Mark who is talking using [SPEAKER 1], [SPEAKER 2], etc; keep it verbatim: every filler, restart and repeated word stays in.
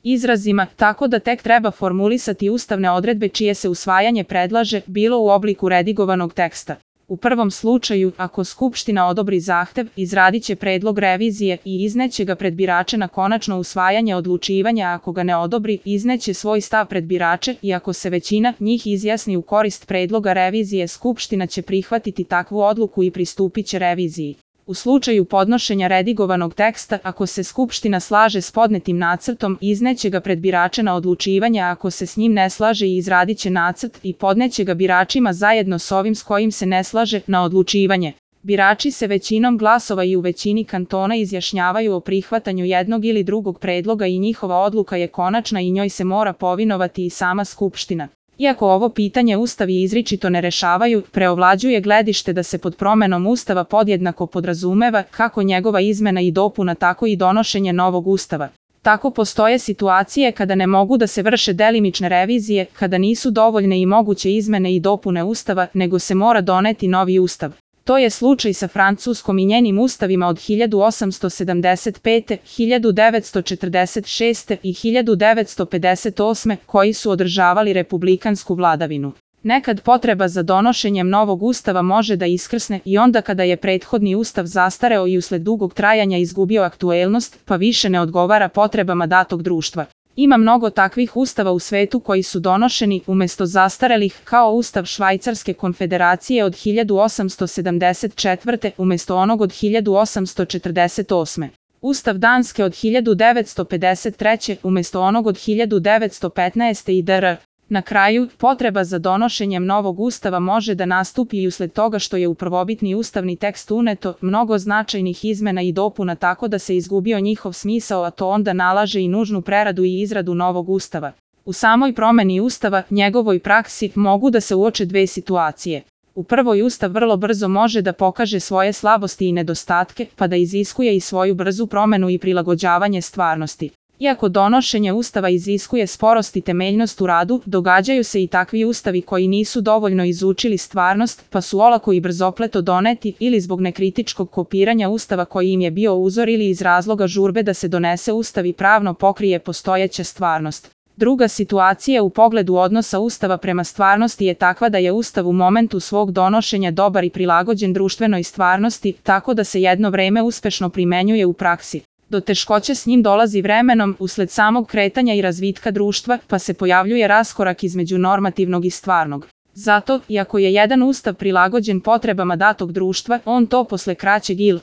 [SPEAKER 1] izrazima, tako da tek treba formulisati ustavne odredbe čije se usvajanje predlaže, bilo u obliku redigovanog teksta. U prvom slučaju, ako Skupština odobri zahtev, izradit će predlog revizije i izneće ga pred birače na konačno usvajanje odlučivanja, a ako ga ne odobri, izneće svoj stav pred birače i ako se većina njih izjasni u korist predloga revizije, Skupština će prihvatiti takvu odluku i pristupit će reviziji. U slučaju podnošenja redigovanog teksta, ako se Skupština slaže s podnetim nacrtom, izneće ga pred birače na odlučivanje, a ako se s njim ne slaže, i izradit će nacrt i podneće ga biračima zajedno s ovim s kojim se ne slaže na odlučivanje. Birači se većinom glasova i u većini kantona izjašnjavaju o prihvatanju jednog ili drugog predloga i njihova odluka je konačna i njoj se mora povinovati i sama Skupština. Iako ovo pitanje Ustavi izričito ne rešavaju, preovlađuje gledište da se pod promenom Ustava podjednako podrazumeva kako njegova izmena i dopuna, tako i donošenje novog Ustava. Tako postoje situacije kada ne mogu da se vrše delimične revizije, kada nisu dovoljne i moguće izmene i dopune Ustava, nego se mora doneti novi Ustav. To je slučaj sa Francuskom i njenim ustavima od hiljadu osamsto sedamdeset pete, hiljadu devetsto četrdeset šeste i hiljadu devetsto pedeset osme, koji su održavali republikansku vladavinu. Nekad potreba za donošenjem novog ustava može da iskrsne i onda kada je prethodni ustav zastareo i usled dugog trajanja izgubio aktuelnost, pa više ne odgovara potrebama datog društva. Ima mnogo takvih ustava u svetu koji su donošeni umesto zastarelih, kao ustav Švajcarske konfederacije od hiljadu osamsto sedamdeset četvrte umesto onog od hiljadu osamsto četrdeset osme. Ustav Danske od hiljadu devetsto pedeset treće umesto onog od hiljadu devetsto petnaeste itd. Na kraju, potreba za donošenjem novog ustava može da nastupi i usled toga što je u prvobitni ustavni tekst uneto mnogo značajnih izmena i dopuna, tako da se izgubio njihov smisao, a to onda nalaže i nužnu preradu i izradu novog ustava. U samoj promeni ustava, njegovoj praksi, mogu da se uoče dve situacije. U prvoj, ustav vrlo brzo može da pokaže svoje slabosti i nedostatke, pa da iziskuje i svoju brzu promenu i prilagođavanje stvarnosti. Iako donošenje ustava iziskuje sporost i temeljnost u radu, događaju se i takvi ustavi koji nisu dovoljno izučili stvarnost, pa su olako i brzopleto doneti, ili zbog nekritičkog kopiranja ustava koji im je bio uzor, ili iz razloga žurbe da se donese ustav i pravno pokrije postojeća stvarnost. Druga situacija u pogledu odnosa ustava prema stvarnosti je takva da je ustav u momentu svog donošenja dobar i prilagođen društvenoj stvarnosti, tako da se jedno vreme uspešno primenjuje u praksi. Do teškoće s njim dolazi vremenom, usled samog kretanja i razvitka društva, pa se pojavljuje raskorak između normativnog i stvarnog. Zato, iako je jedan ustav prilagođen potrebama datog društva, on to posle kraćeg ili